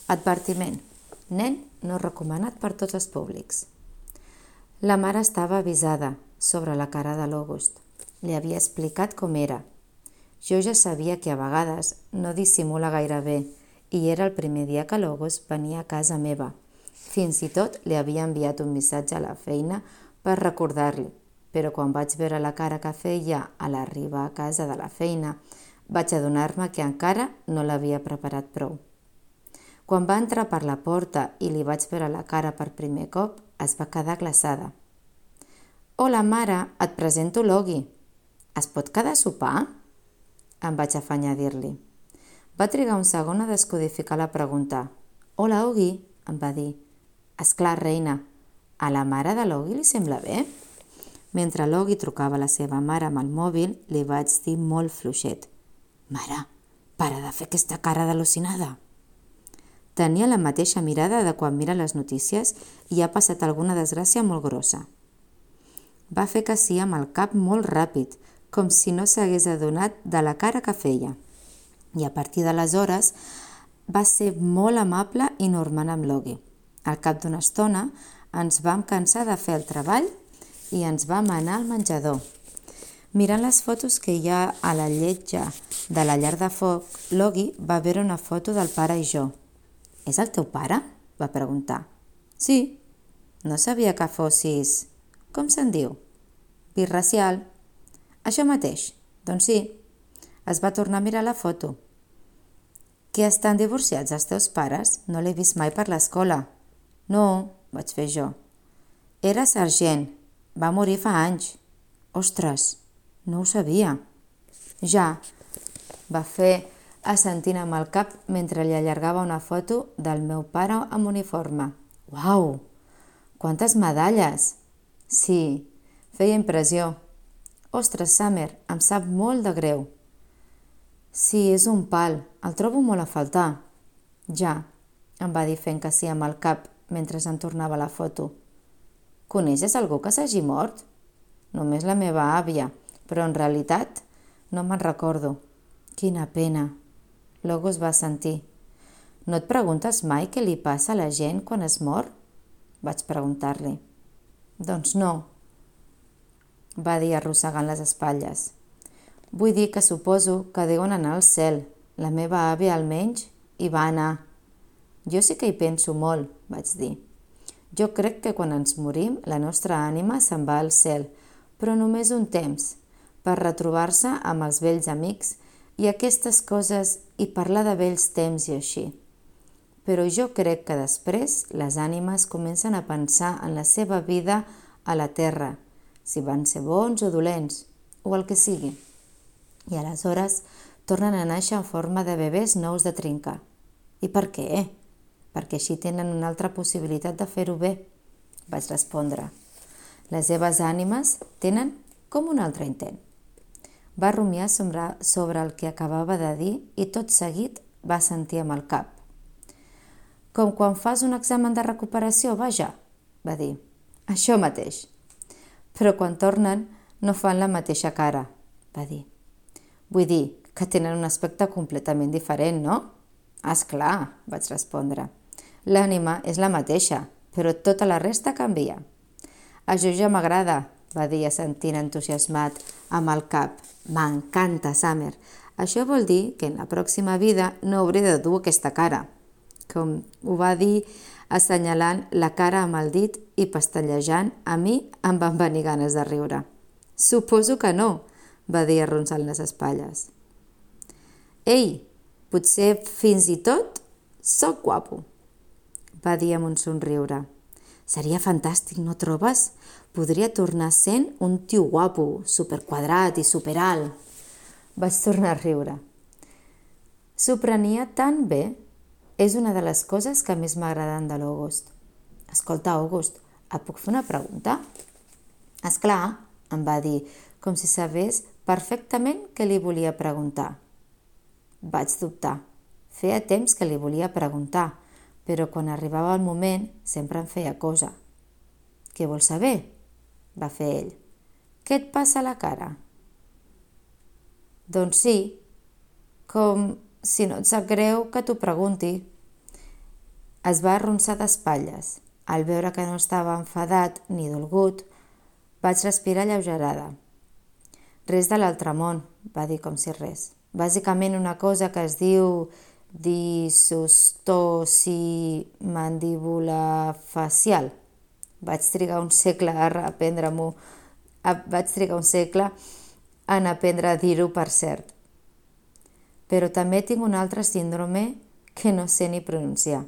Advertiment. Nen no recomanat per tots els públics. La mare estava avisada sobre la cara de l'August. Li havia explicat com era. Jo ja sabia que a vegades no dissimula gaire bé i era el primer dia que l'August venia a casa meva. Fins i tot li havia enviat un missatge a la feina per recordar-li, però quan vaig veure la cara que feia a l'arribar a casa de la feina, vaig adonar-me que encara no l'havia preparat prou. Quan va entrar per la porta i li vaig veure la cara per primer cop, es va quedar glaçada. «Hola, mare, et presento l'Ogui. Es pot quedar a sopar?» Em vaig afanyar a dir-li. Va trigar un segon a descodificar la pregunta. «Hola, Ogui», em va dir. «Esclar, reina, a la mare de l'Ogui li sembla bé?» Mentre l'Ogui trucava a la seva mare amb el mòbil, li vaig dir molt fluixet. «Mare, para de fer aquesta cara d'al·lucinada!» Tenia la mateixa mirada de quan mira les notícies i ha passat alguna desgràcia molt grossa. Va fer que sí amb el cap molt ràpid, com si no s'hagués adonat de la cara que feia. I a partir d'aleshores va ser molt amable i normant amb l'Ogui. Al cap d'una estona ens vam cansar de fer el treball i ens vam anar al menjador. Mirant les fotos que hi ha a la lletja de la llar de foc, l'Ogui va veure una foto del pare i jo. «És el teu pare?», va preguntar. «Sí, no sabia que fossis... com se'n diu? Birracial». «Això mateix, doncs sí». Es va tornar a mirar la foto. «Que estan divorciats els teus pares? No l'he vist mai per l'escola». «No», vaig fer jo. «Era sergent. Va morir fa anys». «Ostres, no ho sabia». «Ja», va fer assentint amb el cap mentre li allargava una foto del meu pare amb uniforme. «Uau! Quantes medalles!» «Sí, feia impressió». «Ostres, Summer, em sap molt de greu». «Sí, és un pal, el trobo molt a faltar». «Ja», em va dir fent que sí amb el cap mentre em tornava la foto. «Coneixes algú que s'hagi mort?» «Només la meva àvia, però en realitat no me'n recordo». «Quina pena». L'August va sentir. «No et preguntes mai què li passa a la gent quan es mor?» Vaig preguntar-li. «Doncs no», va dir arrossegant les espatlles. «Vull dir que suposo que deuen anar al cel. La meva àvia almenys hi va anar». «Jo sí que hi penso molt», vaig dir. «Jo crec que quan ens morim la nostra ànima se'n va al cel, però només un temps, per retrobar-se amb els vells amics i aquestes coses i parlar de vells temps i així. Però jo crec que després les ànimes comencen a pensar en la seva vida a la terra, si van ser bons o dolents, o el que sigui. I aleshores tornen a néixer en forma de bebès nous de trinca. I per què? Perquè així tenen una altra possibilitat de fer-ho bé, vaig respondre. Les seves ànimes tenen com un altre intent. Va rumiar sobre el que acabava de dir i tot seguit va sentir amb el cap. «Com quan fas un examen de recuperació, vaja», va dir. «Això mateix». «Però quan tornen no fan la mateixa cara», va dir. «Vull dir que tenen un aspecte completament diferent, no?» «Esclar», vaig respondre. «L'ànima és la mateixa, però tota la resta canvia». «Això ja m'agrada», va dir assentint entusiasmat amb el cap. «M'encanta, Summer. Això vol dir que en la pròxima vida no hauré de dur aquesta cara». Com ho va dir assenyalant la cara amb el dit i pestallejant, a mi em van venir ganes de riure. «Suposo que no», va dir arronsant les espatlles. «Ei, potser fins i tot soc guapo», va dir amb un somriure. «Seria fantàstic, no trobes? Podria tornar sent un tio guapo, superquadrat i superalt». Vaig tornar a riure. S'ho prenia tan bé. És una de les coses que més m'agraden de l'August. «Escolta, August, et puc fer una pregunta?» «Esclar», em va dir, com si sabés perfectament què li volia preguntar. Vaig dubtar. Feia temps que li volia preguntar, però quan arribava el moment sempre em feia cosa. «Què vols saber?», va fer ell. «Què et passa a la cara?» «Doncs sí, com si no et sap greu que t'ho pregunti». Es va arronsar d'espatlles. Al veure que no estava enfadat ni dolgut, vaig respirar alleugerada. Res de l'altre món, va dir com si res. Bàsicament una cosa que es diu disostosi mandíbula facial. Vaig trigar un segle en aprendre a dir-ho, per cert. Però també tinc un altre síndrome que no sé ni pronunciar.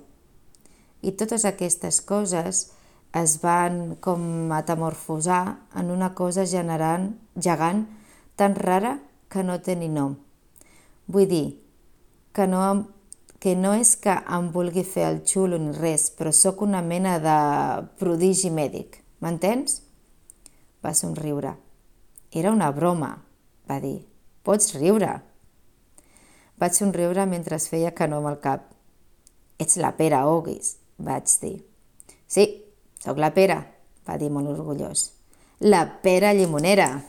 I totes aquestes coses es van com metamorfosar en una cosa gegant tan rara que no té ni nom. Vull dir que no és que em vulgui fer el xulo ni res, però sóc una mena de prodigi mèdic, m'entens? Va somriure. Era una broma, va dir. Pots riure. Vaig somriure mentre es feia que no amb el cap. Ets la Pere Oguis, vaig dir. Sí, sóc la Pere, va dir molt orgullós. La Pere Llimonera.